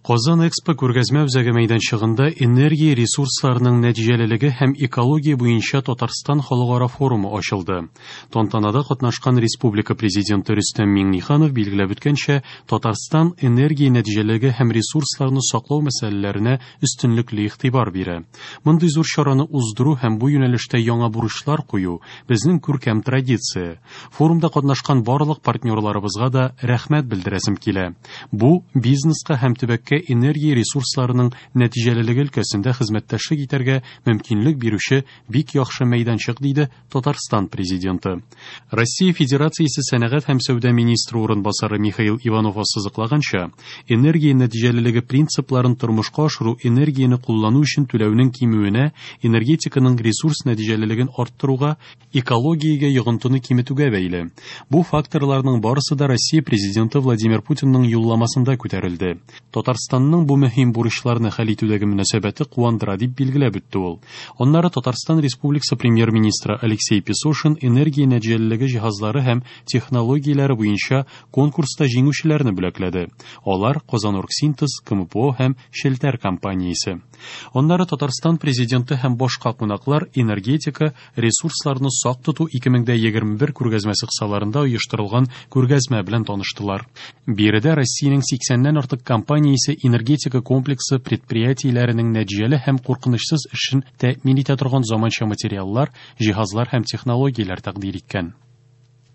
Казан Экспо күргәзмә үзәге мәйданчыгында энергия ресурсларының нәтиҗәлелеге һәм экология буенча Татарстан халыкара форумы ачылды. Тантанада катнашкан республика Президенты Рөстәм Миңнеханов билгеләп үткәнчә, Татарстан энергия нәтиҗәлелеге һәм ресурсларны саклау мәсьәләләренә өстенлекле игътибар бирә. Мондый зур чараны уздыру һәм бу юнәлештә яңа бурычлар кую, безнең күркәм традиция. Форумда катнашкан барлык партнерларыбызга да рәхмәт белдерәсем килә. Бу, бизнеска һәм төбәккә энергия ресурсларының нәтиҗәлелеге өлкәсендә хезмәттәшлек итәргә мөмкинлек бирүче бик яхшы мәйданчык, диде Татарстан Президенты. Россия Федерациясе сәнәгать һәм сәүдә министры урынбасары Михаил Иванов ассызыклаганча, энергия нәтиҗәлелеге принципларын тормышка ашыру энергияне куллану өчен түләүнең кимүенә, энергетиканың ресурс нәтиҗәлелеген арттыруга, экологиягә йогынтыны киметүгә бәйле. Бу факторларның барысы да Россия Президенты Владимир Путинның юлламасында күтәрелде. Татарстанның бу мөһим бурычларны хәл итүдәге мөнәсәбәте куандыра, дип билгеләп үтте ул. Аннары Татарстан Республикасы Премьер-министры Алексей Песошин энергия нәтиҗәлелеге җиһазлары һәм технологияләре буенча конкурста җиңүчеләрне бүләкләде. Алар, Казаноргсинтез, КМПО һәм Челтәр компаниясе. Аннары Татарстан Президенты һәм башка кунаклар энергетика, Ресурсларны сак тоту 2021 күргәзмәсе кысаларында оештырылган күргәзмә белән таныштылар. Биредә Россиянең 80-нән артык компаниясе энергетика комплексы предприятиеләренең нәтиҗәле һәм куркынычсыз эшен тәэмин итә торган заманча материаллар, җиһазлар һәм технологияләр тәкъдир иткән.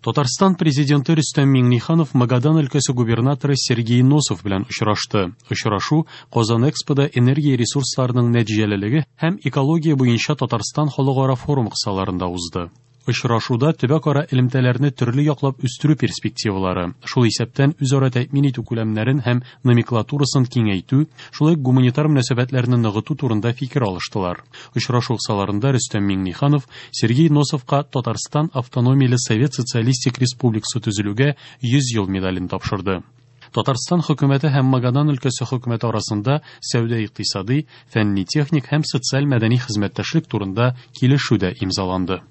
Татарстан Президенты Рөстәм Миңнеханов Магадан өлкәсе губернаторы Сергей Носов белән очрашты. Очрашу Казан Экспода энергия ресурсларының нәтиҗәлелеге һәм экология буенча Татарстан халыкара форумы кысаларында узды. Очрашуда төбәкара элемтәләрне төрле яклап үстерү перспективалары, шул исәптән үзара тәэмин итү күләмнәрен һәм номенклатурасын киңәйтү, шулай ук гуманитар мөнәсәбәтләрне ныгыту турында фикер алыштылар. Очрашу кысаларында Рөстәм Миңнеханов Сергей Носовка Татарстан Автономияле Совет Социалистик Республикасы төзелүгә 100 ел медален тапшырды. Татарстан хөкүмәте һәм Магадан өлкәсе хөкүмәте арасында сәүдә-икътисадый, фәнни-техник һәм социаль-мәдәни хезмәттәшлек турында килешү дә имзаланды.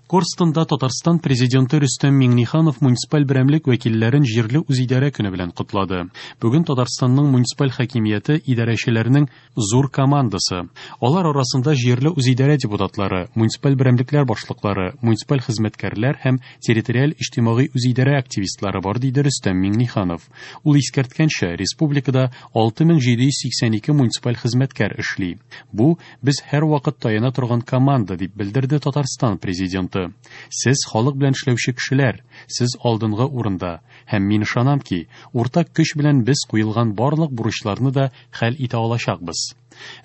Корстонда Татарстан Президенты Рөстәм Миңнеханов муниципаль берәмлек вәкилләрен җирле үзидарә көне белән котлады. Бүген Татарстанның муниципаль хакимияте идарәчеләренең зур командасы. Алар арасында җирле үзидарә депутатлары, муниципаль берәмлекләр башлыклары, муниципаль хезмәткәрләр һәм территориаль иҗтимагый үзидарә активистлары бар, диде Рөстәм Миңнеханов. Ул искәрткәнчә, республикада 6782 муниципаль хезмәткәр эшли. Бу, без һәрвакыт таяна торган команда, дип белдерде Татарстан Президенты. Сез халык белән эшләүче кешеләр, сез алдынгы урында. Һәм мин ышанам ки, уртак көч белән без куелган барлык бурычларны да хәл итә алачакбыз.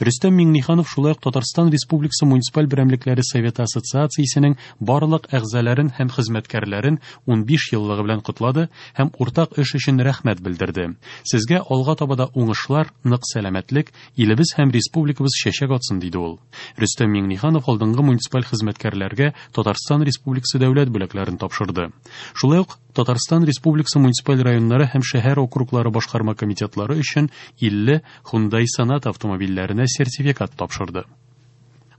Рөстәм Миңнеханов шулай ук Татарстан Республикасы муниципаль берәмлекләре Советы ассоциациясенең барлык әгъзаларын һәм хезмәткәрләрен 15 еллыгы белән котлады һәм уртак эш өчен рәхмәт белдерде. Сезгә алга таба да уңышлар, нык сәламәтлек, илебез һәм республикабыз чәчәк атсын, диде ул. Рөстәм Миңнеханов алдынгы муниципаль хезмәткәрләргә Татарстан Республикасы дәүләт бүләкләрен тапшырды. Шулай ук Татарстан Республикасы муниципаль районнары һәм шәһәр округлары башкарма комитетлары өчен 50 Hyundai Sonata автомобильләренә сертификат тапшырды.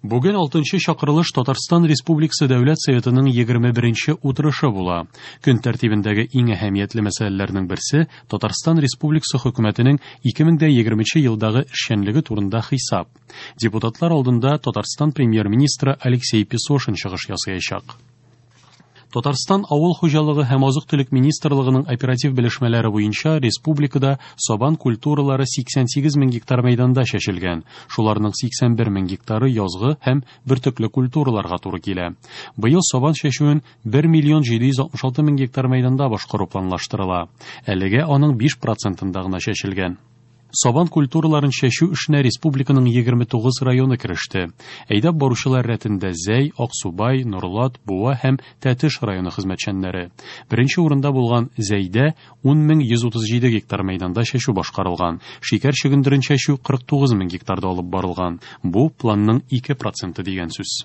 Бүген 6 чакырылыш Татарстан Республикасы Дәүләт Советының 21 утырышы була. Көн тәртибендәге иң әһәмиятле мәсьәләләрнең берсе Татарстан Республикасы хөкүмәтенең 2020 елдагы эшчәнлеге турында хисап. Депутатлар алдында Татарстан премьер-министры Алексей Песошин чыгыш ясаячак. Татарстан Авыл хуҗалыгы һәм азык-төлек министрлыгының оператив белешмәләре буенча республикада сабан культуралары 88 мең гектар мәйданда чәчелгән. Шуларның 81 мең гектары язгы һәм бөртекле культураларга туры килә. Быел сабан чәчүен 1 миллион 766 мең гектар мәйданда башкару планлаштырыла. Әлегә аның 5 процентында гына чәчелгән. Сабан культураларын чәчү эшенә республиканың 29 районы кереште. Әйдәп баручылар рәтендә Зәй, Аксубай, Нурлат, Буа һәм Тәтеш районы хезмәтчәннәре. Беренче урында булган Зәйдә 10137 гектар мәйданда чәчү башкарылган. Шикәр чөгендерен чәчү 49 мең гектарда алып барылган. Бу планның 2 проценты дигән сүз.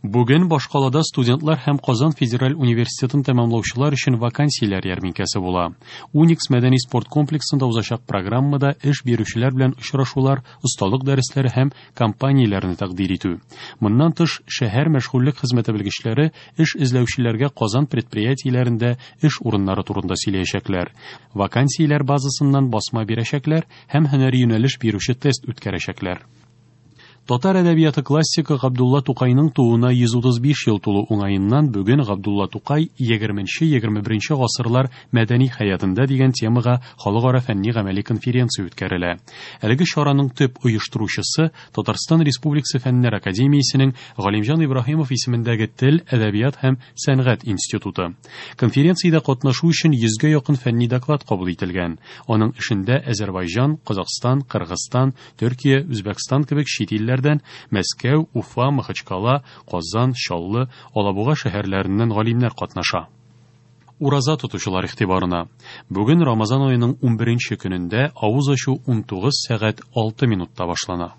Бүген башкалада студентлар һәм Казан федераль университетын тәмамлаучылар өчен вакансияләр ярминкәсе була. Уникс мәдәни спорт комплексында узачак программада эш бирүчеләр белән очрашулар, осталык дәресләре һәм компанияләрне тәкъдир итү. Моннан тыш, шәһәр мәшгульлек хезмәте белгечләре эш эзләүчеләргә Казан предприятиеләрендә эш урыннары турында сөйләячәкләр. Вакансияләр базасыннан басма бирәчәкләр һәм һөнәри юнәлеш бирүче тест үткәрәчәкләр. Татар әдәбияты классигы Габдулла Тукайның тууына 135 ел тулу уңаеннан бүген Габдулла Тукай 20-21 гасырлар мәдәни хәятында дигән темага халыкара фәнни-гамәли конференция үткәрелә. Әлеге чараның төп оештыручысы Татарстан Республикасы Фәннәр академиясенең Галимҗан Ибраһимов исемендәге Тел, әдәбият һәм сәнгать институты. Конференциядә катнашу өчен 100гә якын фәнни доклад кабул ителгән. Аның эшендә Әзербайҗан, Казахстан, Кыргызстан, Төркия, Үзбәкстан кебек чит илләрдән, Мәскәү, Уфа, Махачкала, Казан, Чаллы, Алабуга шәһәрләреннән галимнәр катнаша. Ураза тотучылар игътибарына. Бүген Рамазан аеның 11 нче көнендә авыз ачу 19 сәгать 6 минутта башлана.